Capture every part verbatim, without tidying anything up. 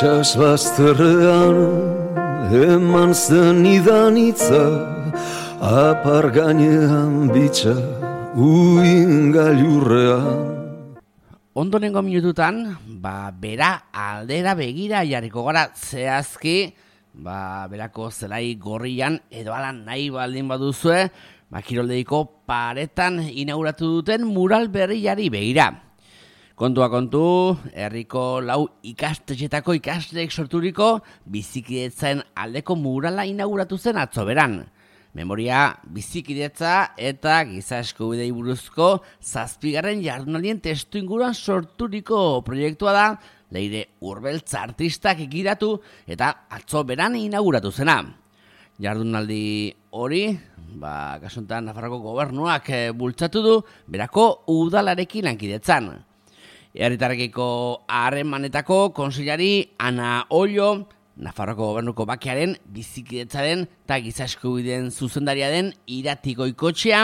Itsas bazterrean eman zen idanitza, apar gainean bitxa uin gailurrean. Ondonengo minututan, ba, bera aldera begira jarriko gara zehazki, ba, berako zelai gorrian edo ala nahi baldin baduzue, ba, kiroldeiko paretan inauguratu duten mural berriari begira. Kontua kontu, herriko lau ikastetxetako ikasleek sorturiko bizikidetzen aldeko murala inauguratu zen atzo beran. Memoria, bizikidetza eta giza eskubidei buruzko zazpigarren jardunaldien testu inguruan sorturiko proiektua da, Leire Urbeltz artistak egiratu eta atzo beran inauguratu zena. Jardunaldi hori, ba, kasuntan Nafarroko gobernuak e, bultzatu du berako udalarekin lankidetzan. Herritarrekiko harremanetako kontseilari Ana Ollo, Nafarroko gobernuko bakearen bizikidetzaren eta giza eskubideen zuzendaria den Irati Goikoetxea,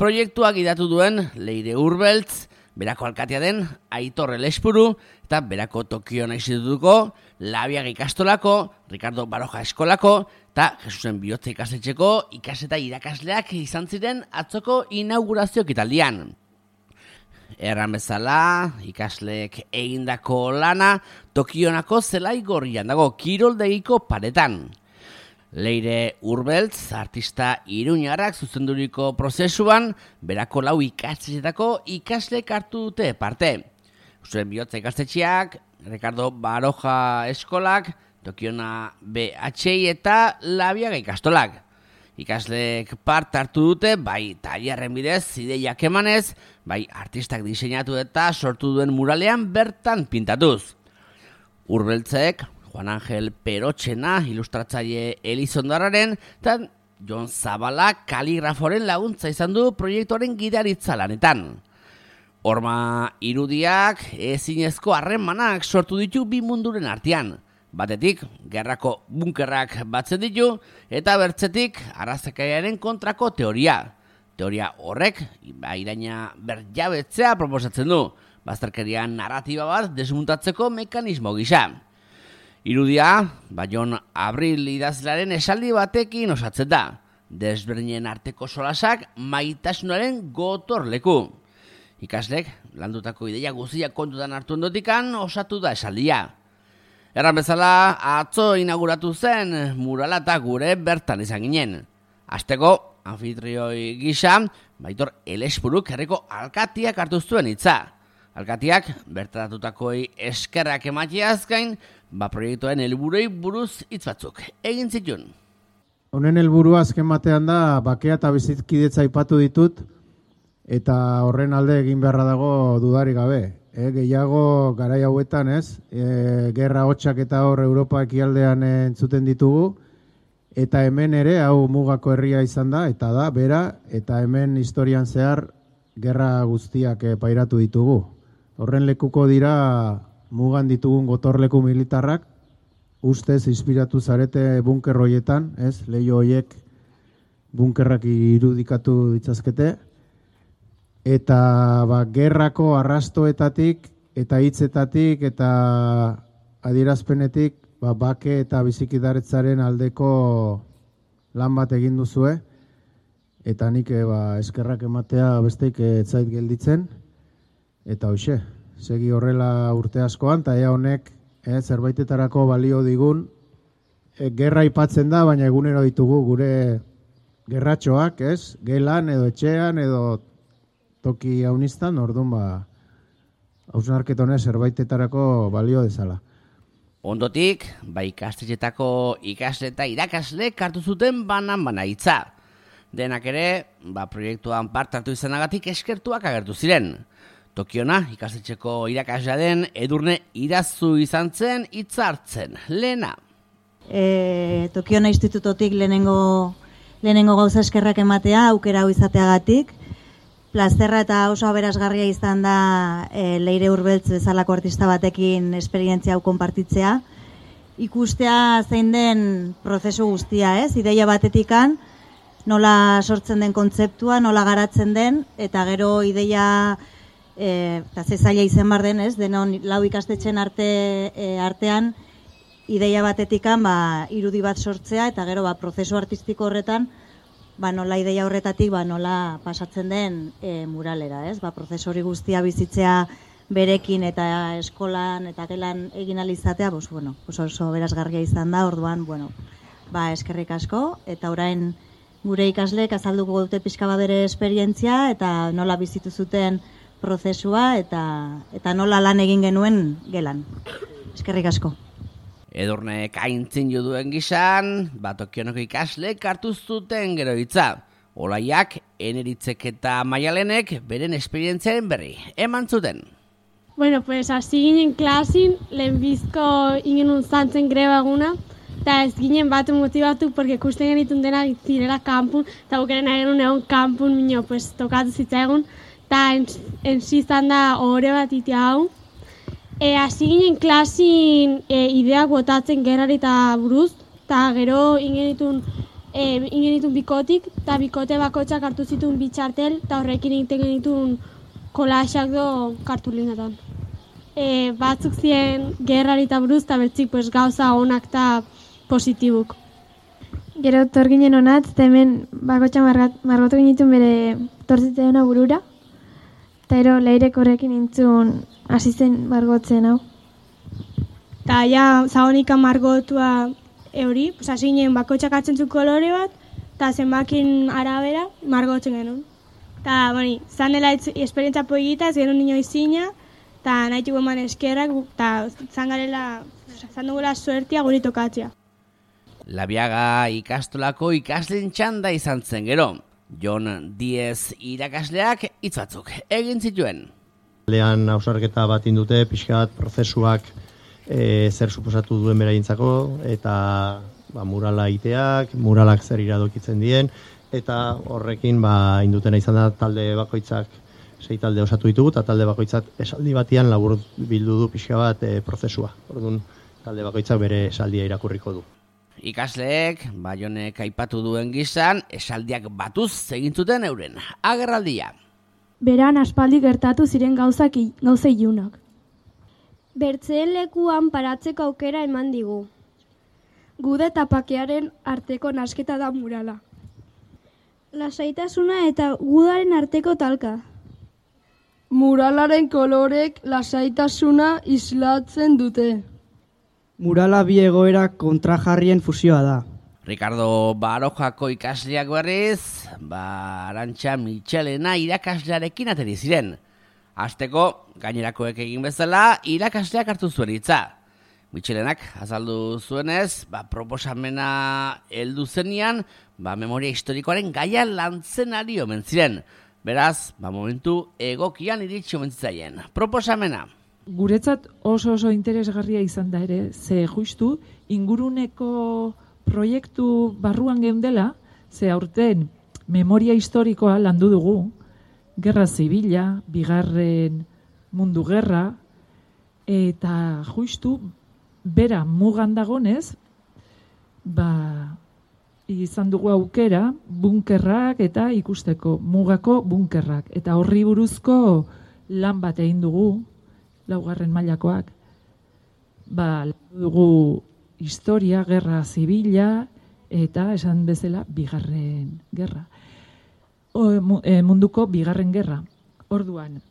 proiektuak gidatu duen Leire Urbeltz, berako alkatea den Aitor Elespuru eta berako Tokion institutuko Labiaga ikastolako, Ricardo Baroja eskolako eta Jesusen Bihotza ikastetxeko ikaseta irakasleak izan ziren atzoko inaugurazio ekitaldian. Erran bezala, ikasleek egindako lana Tokionako zelai gorrian dago kiroldegiko paretan. Leire Urbeltz, artista iruñarrak zuzenduriko prozesuan, berako lau ikastetxetako ikasleek hartu dute parte. Jesusen Bihotza ikastetxeak, Ricardo Baroja eskolak, Tokiona B H I eta Labiaga ikastolak. Ikasleek part hartu dute, bai tailerren bidez, ideiak emanez, bai artistak diseinatu eta sortu duen muralean bertan pintatuz. Urbeltzek, Juan Angel Perotxena, ilustratzaile Elizondarraren, eta Jon Zabala kaligraforen laguntza izan du proiektuaren gidaritza lanetan. Horma irudiak ezinezko harremanak sortu ditu bi munduren artean. Batetik, gerrako bunkerrak batzen ditu, eta bertzetik, arrazakaiaren kontrako teoria. Teoria horrek, iraina berjabetzea proposatzen du, bazterkeria narratiba bat desmuntatzeko mekanismo gisa. Irudia, Baion Abril idazlearen esaldi batekin osatzen da, desberdinen arteko solasak maitasunaren gotorleku. Ikaslek, landutako ideia guztiak kontutan hartu ondotikan osatu da esaldia. Erran bezala, atzo inauguratu zen murala eta gure bertan izan ginen. Hasteko, anfitrioi gisa, Baitor Elespuruk herriko alkatiak hartu zuen hitza. Alkatiak, bertaratukoi eskerrak emateaz gain, ba proiektuen helburuei buruz hitz batzuk egin zituen. Honen helburua azken batean da, bakea eta bizikidetza aipatu ditut, eta horren alde egin beharra dago dudarik gabe. E, gehiago garai hauetan, ez? E, gerra hotxak eta hor Europa ekialdean entzuten ditugu, eta hemen ere, hau mugako herria izan da, eta da, bera, eta hemen historian zehar gerra guztiak e, pairatu ditugu. Horren lekuko dira mugan ditugun gotorleku militarrak, ustez inspiratu zarete bunker hoietan, ez? Leiho hoiek bunkerrak irudikatu ditzazkete, eta ba, gerrako arrastoetatik eta hitzetatik eta adierazpenetik ba, bake eta bizikidaretzaren aldeko lan bat egin duzue, eta nik e, ba, eskerrak ematea besteik ez zait gelditzen, eta hoxe, segi horrela urte askoan, eta ea honek e, zerbaitetarako balio digun, e, gerra aipatzen da, baina egunero ditugu gure gerratxoak, ez? Gelan edo etxean edo toki haunistan, orduan ba, hausnarketone zerbaitetarako balio dezala. Ondotik, ba ikastetxetako ikasle eta irakasle hartu zuten banan-bana hitza. Denak ere, ba proiektuan part hartu izanagatik eskertuak agertu ziren. Tokiona, ikastetxeko irakaslea den Edurne Irazu izan zen hitza hartzen. Lehena. E, Tokiona institutotik lehenengo, lehenengo gauza eskerrak ematea, aukera hau izateagatik. Plazerra eta oso aberasgarria izan da e, Leire Urbeltz bezalako artista batekin esperientzia hau konpartitzea. Ikustea zein den prozesu guztia, ez? Ideia batetikan, nola sortzen den kontzeptua, nola garatzen den, eta gero ideia e, eta ze zaila izen bar den, ez? Denon lau ikastetxen arte, e, artean ideia batetikan ba, irudi bat sortzea, eta gero ba, prozesu artistiko horretan, ba, nola ideia horretatik ba, nola pasatzen den e, muralera, ez? Ba, prozesu hori guztia bizitzea berekin eta eskolan eta gelan egin alizatea, bos, bueno, oso berazgarria izan da, orduan, bueno, ba, eskerrik asko, eta orain gure ikasleek azalduko dute pixka bat bere esperientzia, eta nola bizitu zuten prozesua, eta, eta nola lan egin genuen gelan. Eskerrik asko. Edurnek aintzin juduen gizan, bat Tokionoko ikasleek hartu zuten gero hitza. Olaiak, Eneritzek eta Maialenek beren esperientziaren berri eman zuten. Bueno, pues hasi ginen klasin, lehenbizko ingen zantzen greba eguna, eta ez ginen bat motibatu, porque ikusten genitun dena zirela kanpun, eta bukeren agen egon kanpun, minio, pues tokatu zitzaigun, eta ensi izan da ohore bat itea hau. E, hasi ginen klasin e, ideak botatzen gerrari eta buruz, eta gero ingenitun, e, ingenitun bikotik, eta bikote bakotxak hartu zituen bitxartel, eta horrekin egiten genitun kolaxak do kartulinetan. E, batzuk ziren gerrari eta buruz, eta bertzik pues, gauza onak eta positibuk. Gero tor ginen honatz, eta hemen bakotxa margotu genitun bere tortzitzeena burura, eta ero leirek horrekin nintzun hasi zen margotzen hau. Eta ja, zahonika margotua euri, pues, hasi ginen bakotxak hartzen zu kolore bat, eta zenbakin arabera margotzen genuen. Eta, boni, zan dela esperientza poigita, ez genuen nino izina, eta nahi txugu eman eskerrak, eta zan garela, zan dugula suertia guri tokatzea. Labiaga ikastolako ikasleen txanda izan zen gero. Jon Diez irakasleak hitz batzuk egin zituen. Lehan hausarketa bat indute, pixka bat prozesuak e, zer suposatu duen beraientzako, eta ba, murala iteak, muralak zer iradokitzen dien, eta horrekin ba, indutena izan da talde bakoitzak, sei talde osatu ditugu, eta talde bakoitzak esaldi batian labur bildu du pixka bat e, prozesua. Orduan, talde bakoitzak bere esaldia irakurriko du. Ikasleek, Baionek aipatu duen gizan, esaldiak batuz egin zuten euren agerraldia. Beran aspaldi gertatu ziren gauzak gauza ilunak. Bertzeen lekuan paratzeko aukera eman digu. Gude eta pakearen arteko nasketa da murala. Lasaitasuna eta gudaren arteko talka. Muralaren kolorek lasaitasuna islatzen dute. Murala bi egoera kontrajarrien fusioa da. Ricardo Barojako ikasleak berriz, ba, Arantxa Michelena irakaslearekin ateri ziren. Hasteko, gainerakoek egin bezala, irakasleak hartu zuen hitza. Michelenak azaldu zuenez, ba, proposamena heldu zenian, ba, memoria historikoaren gaia lantzen ari omen ziren. Beraz, ba, momentu egokian iritsi omen zitzaien. Proposamena. Guretzat oso oso interesgarria izan da ere, ze justu inguruneko proiektu barruan geundela, ze aurten memoria historikoa landu dugu, gerra zibila, bigarren mundu gerra, eta justu bera mugan dagonez, ba, izan dugu aukera bunkerrak eta ikusteko mugako bunkerrak. Eta horri buruzko lan bat egin dugu, laugarren mailakoak, ba, dugu historia, gerra zibila, eta esan bezala bigarren gerra. O, e, munduko bigarren gerra. Orduan,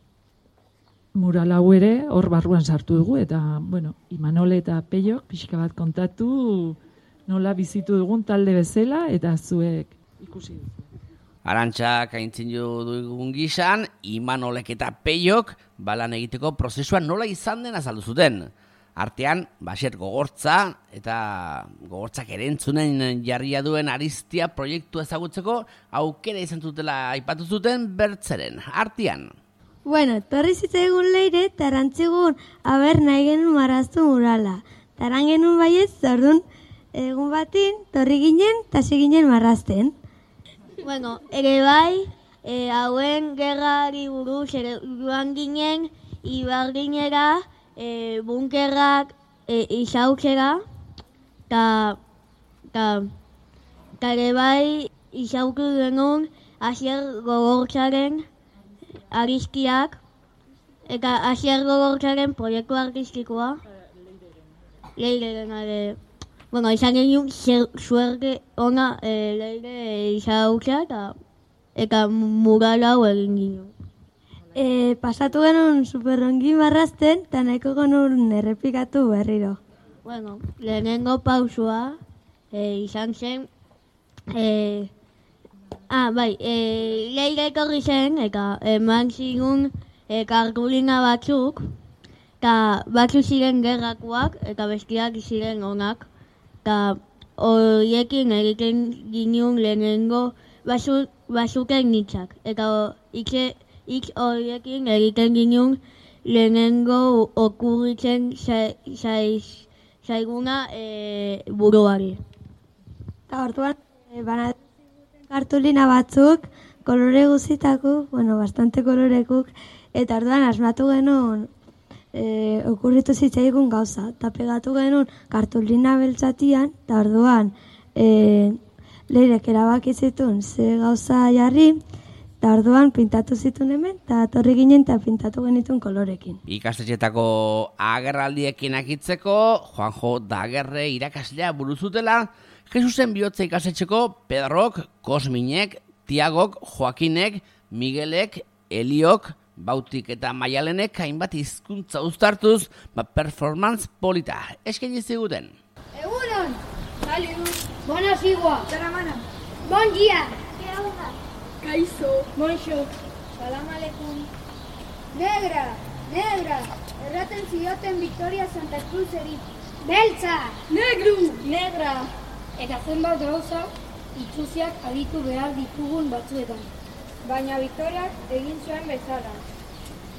mural hau ere hor barruan sartu dugu, eta, bueno, Imanol eta Peiok pixka bat kontatu nola bizitu dugun talde bezala, eta zuek ikusi dugu. Arantxak aintzin dugun gizan, Imanolek eta Peiok balan egiteko prozesua nola izan den azaldu zuten. Artean, basiet gogortza eta gogortzak erentzunen jarria duen Aristia proiektu ezagutzeko aukera izan zutela aipatu zuten bertzeren. Artean. Bueno, torri zitzaigun leire, tarantzigun aber nahi genuen marraztu murala. Taran genuen baiet, zordun egun batin, torri ginen, tasi ginen marrazten. Bueno, ere bai, e, hauen gerrari buruz ere joan ginen, ibarginera, e, bunkerrak e, izautzera, eta ere bai, izautu genuen, Asier Gogortzaren Aristiak, eta Asier Gogortzaren proiektu artistikoa. leire ere, bueno, izan genuen suerte ona e, leire izagutza eta eta mural hau egin ginen. E, pasatu genuen superrongi marrazten, eta nahiko genuen errepikatu berriro. Bueno, lehenengo pausua e, izan zen, e, ah, bai, e, leire etorri zen, eta eman zigun e, kartulina batzuk, eta batzuk ziren gerrakoak, eta bestiak ziren onak, eta horiekin egiten ginen lehenengo basu, basuken nitzak, eta itxe, itx horiekin egiten ginen lehenengo okurritzen zaiz, zaiguna e, buruari. Eta orduan, e, banatzen kartulina batzuk, kolore guzitako, bueno, bastante kolorekuk, eta orduan asmatu genuen e, okurritu zitzaigun gauza, eta pegatu genuen kartulina beltzatian, eta orduan e, leirek erabaki zituen ze gauza jarri, eta orduan pintatu zituen hemen, eta torri ginen eta pintatu genituen kolorekin. Ikastetxetako agerraldiekin akitzeko, Juanjo Dagerre irakaslea buruzutela, Jesusen bihotza ikastetxeko Pedrok, Kosminek, Tiagok, Joakinek, Miguelek, Eliok, Bautik eta Maialenek hainbat hizkuntza uztartuz, ba performance polita eskaini ziguten. Egunon! Salud! Bona zigua! Zaramana! Bon dia! Geauda! Kaizo! Monxo! Salam aleikum! Negra! Negra! Erraten zioten Victoria Santa Cruzeri. Beltza! Negru! Negra! Eta zenbat gauza itxuziak aditu behar ditugun batzuetan. Baina Victoriak egin zuen bezala.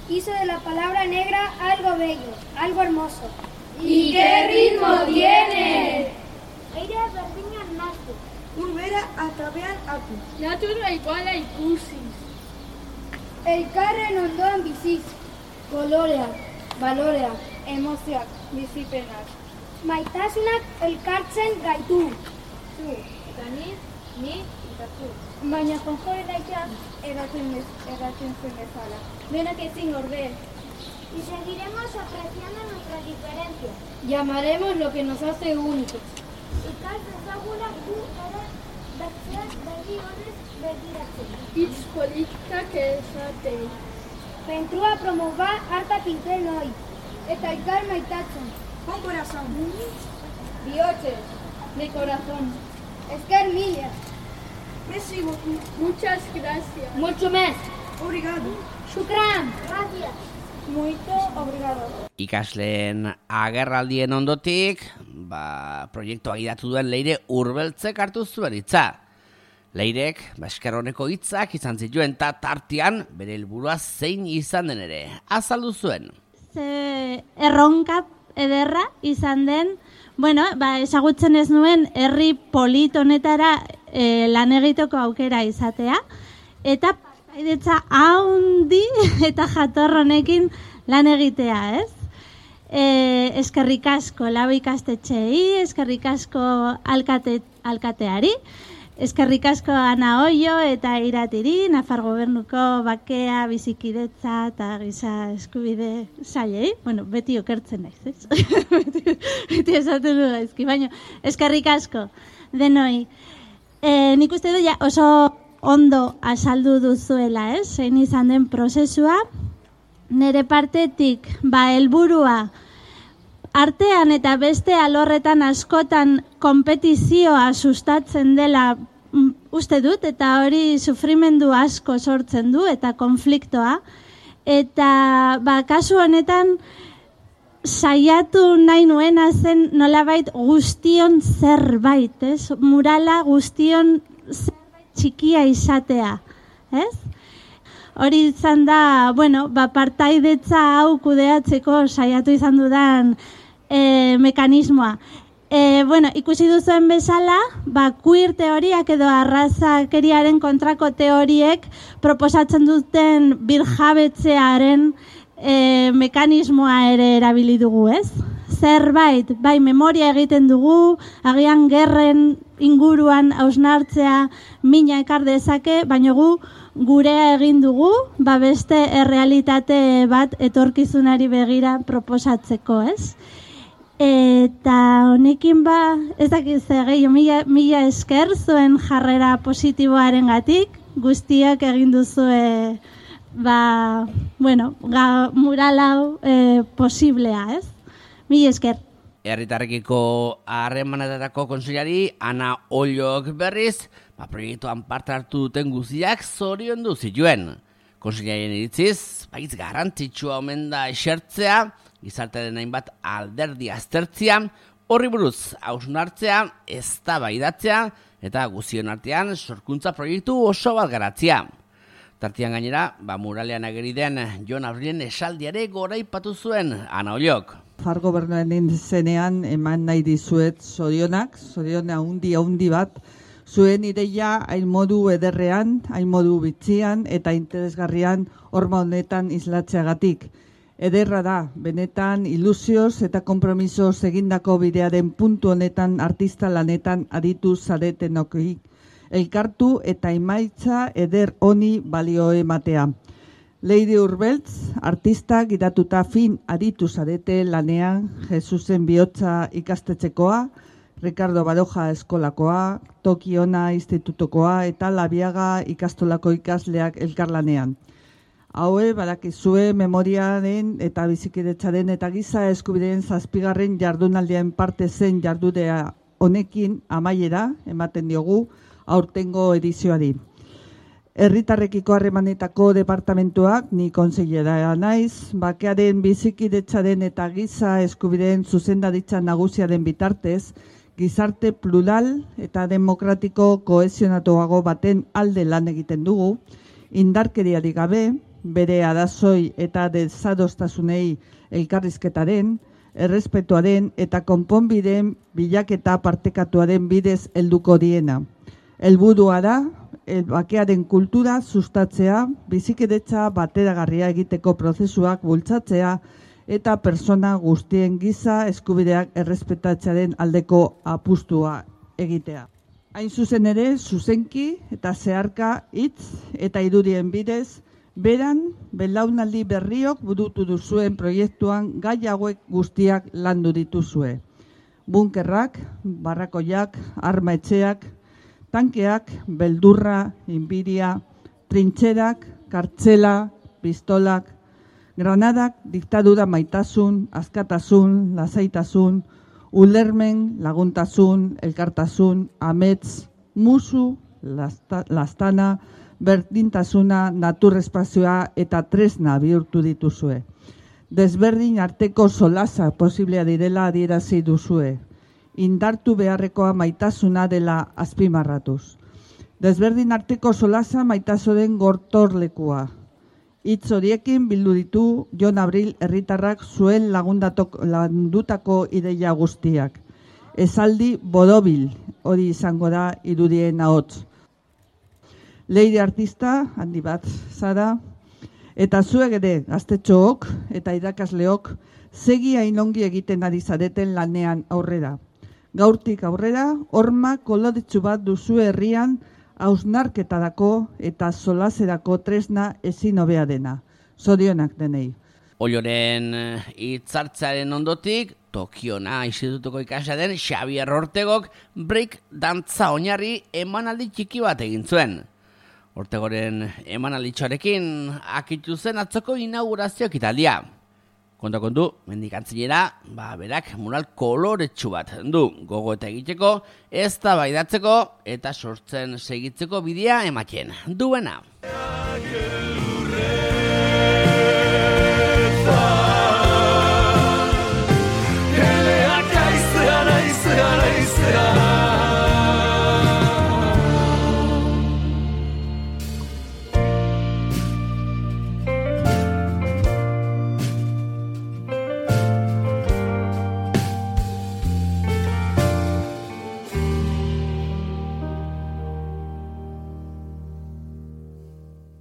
Hizo de la palabra negra algo bello, algo hermoso. ¿Y qué ritmo tiene? Airea berdinak naztu. Urbera atabean atu. Natura iguala ikusiz. Elkarren ondoan biziz. Koloreak, baloreak, emozioak, bizipenak. Maitasunak elkartzen gaitu. Zu, eta ni, ni, eta zu. Baina Juanjo edaiak eratzen zuen bezala. Denak ezin orde. Y seguiremos apreciando nuestras diferencias. Llamaremos lo que nos hace únicos. Ikas dezagula gu ere bertzeak begi honez begiratzen. Hitz politikak esaten. Pentrua promova harta pinten hoi. Eta ikar maitatzen. Con corazón. Bioches, de corazón. Esker mila. Merci beaucoup. Muchas gracias. Mucho más. Obrigado. Shukran. Gracias. Muito obrigado. Ikasleen agerraldien ondotik, ba, proiektua gidatu duen Leire Urbeltzek hartu zuen hitza. Leirek, ba, esker honeko hitzak izan zituen ta tartean bere helburua zein izan den ere. Azaldu zuen. Ze erronka ederra izan den, bueno, ba, ezagutzen ez nuen herri polit honetara e, lan egiteko aukera izatea, eta partaidetza haundi eta jatorronekin lan egitea, ez? E, eskerrik asko lau ikastetxeei, eskerrik asko alkate, alkateari, eskerrik asko Ana Oio eta Iratiri, Nafar Gobernuko bakea, bizikidetza eta giza eskubide sailei. Bueno, beti okertzen naiz, ez? beti, beti esaten du gaizki, baina eskerrik asko denoi. E, nik uste du ja oso ondo azaldu duzuela, ez? Zein izan den prozesua. Nere partetik, ba, helburua artean eta beste alorretan askotan konpetizioa sustatzen dela uste dut, eta hori sufrimendu asko sortzen du, eta konfliktoa. Eta ba, kasu honetan saiatu nahi nuena zen nolabait guztion zerbait, ez? Murala guztion zerbait txikia izatea, ez? Hori izan da, bueno, ba, partaidetza hau kudeatzeko saiatu izan dudan E, mekanismoa. E, bueno, ikusi duzuen bezala, ba, queer teoriak edo arrazakeriaren kontrako teoriek proposatzen duten birjabetzearen e, mekanismoa ere erabili dugu, ez? Zerbait, bai, memoria egiten dugu, agian gerren inguruan hausnartzea mina ekar dezake, baina gu gurea egin dugu, ba, beste errealitate bat etorkizunari begira proposatzeko, ez? Eta honekin ba, ez dakiz gehiago, mila, mila esker zuen jarrera positiboaren gatik, guztiak egin duzue, ba, bueno, ga, mural hau e, posiblea, ez? Mila esker. Herritarrekiko harremanetarako kontseilari Ana Ollok berriz, ba, proiektuan parte hartu duten guztiak zoriondu zituen. Kontseilarien iritziz, baiz garrantzitsua omen da esertzea, gizartearen hainbat alderdi aztertzea, horri buruz hausnartzea, eztabaidatzea eta guztion artean sorkuntza proiektu oso bat garatzea. Tartian gainera, ba, muralean ageri den Jon Abrilen esaldiare goraipatu zuen Ana Ollok. Far gobernuaren zenean eman nahi dizuet zorionak, zoriona haundi haundi bat, zuen ideia hain modu ederrean, hain modu bitxian eta interesgarrian horma honetan islatzeagatik. Ederra da, benetan ilusioz eta kompromisoz egindako bidearen puntu honetan artista lanetan aditu zaretenokik. Elkartu eta emaitza eder honi balio ematea. Leire Urbeltz, artista gidatuta fin aditu zarete lanean Jesusen bihotza ikastetxekoa, Ricardo Baroja eskolakoa, Tokiona institutokoa eta Labiaga ikastolako ikasleak elkarlanean. Haue badakizue memoriaren eta bizikidetzaren eta giza eskubideen zazpigarren jardunaldian parte zen jardudea honekin amaiera ematen diogu aurtengo edizioari. Herritarrekiko harremanetako departamentuak, ni kontseilera naiz, bakearen bizikidetzaren eta giza eskubideen zuzendaritza nagusiaren bitartez, gizarte plural eta demokratiko kohesionatuago baten alde lan egiten dugu, indarkeriarik gabe, bere arazoi eta desadostasunei elkarrizketaren, errespetuaren eta konponbideen bilaketa partekatuaren bidez helduko diena. Helburua da, bakearen kultura sustatzea, bizikidetza bateragarria egiteko prozesuak bultzatzea eta persona guztien giza eskubideak errespetatzearen aldeko apustua egitea. Hain zuzen ere, zuzenki eta zeharka hitz eta irudien bidez, beran belaunaldi berriok burutu duzuen proiektuan gai hauek guztiak landu dituzue. Bunkerrak, barrakoiak, arma etxeak, tankeak, beldurra, inbidia, trintxerak, kartzela, pistolak, granadak, diktadura maitasun, askatasun, lasaitasun, ulermen, laguntasun, elkartasun, amets, musu, lasta, lastana, berdintasuna, naturrespazioa eta tresna bihurtu dituzue. Desberdin arteko solasa posiblea direla adierazi duzue. Indartu beharrekoa maitasuna dela azpimarratuz. Desberdin arteko solasa maitasoren gortorlekua. Hitz horiekin bildu ditu Jon Abril herritarrak zuen landutako ideia guztiak. Esaldi borobil hori izango da irudien ahots. Leire artista, handi bat zara, eta zuek ere gaztetxook eta irakasleok segi hainongi egiten ari zareten lanean aurrera. Gaurtik aurrera, horma koloretsu bat duzu herrian hausnarketarako eta solaserako tresna ezin hobea dena. Zorionak denei. Olloren hitzartzearen ondotik, Tokiona institutuko ikasle den Xabier Ortegok break dantza oinarri emanaldi txiki bat egin zuen. Ortegoren emanalditxoarekin akitu zen atzoko inaugurazio ekitaldia. Konta kontu, mendikantzinera, ba, berak mural koloretsu bat du gogo eta egiteko, eztabaidatzeko eta sortzen segitzeko bidea ematen duena.